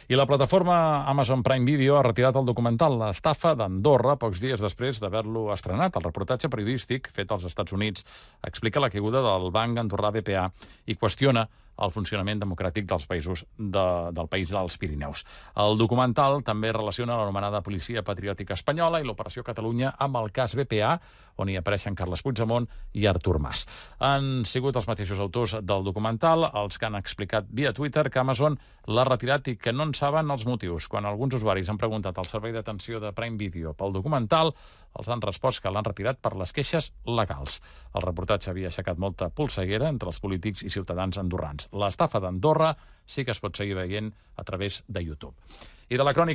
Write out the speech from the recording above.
I la plataforma Amazon Prime Video ha retirat el documental L'estafa d'Andorra pocs dies després d'haver-lo estrenat. El reportatge periodístic fet als Estats Units explica la caiguda del banc andorrà BPA i qüestiona el funcionament democràtic dels països del país dels Pirineus. El documental també relaciona l'anomenada Policia Patriòtica Espanyola i l'Operació Catalunya amb el cas BPA, on hi apareixen Carles Puigdemont i Artur Mas. Han sigut els mateixos autors del documental els que han explicat via Twitter que Amazon l'ha retirat i que no en saben els motius. Quan alguns usuaris han preguntat al servei d'atenció de Prime Video pel documental, els han respost que l'han retirat per les queixes legals. El reportatge havia aixecat molta polseguera entre els polítics i ciutadans andorrans. L'estafa d'Andorra sí que es pot seguir veient a través de YouTube. I de la crònica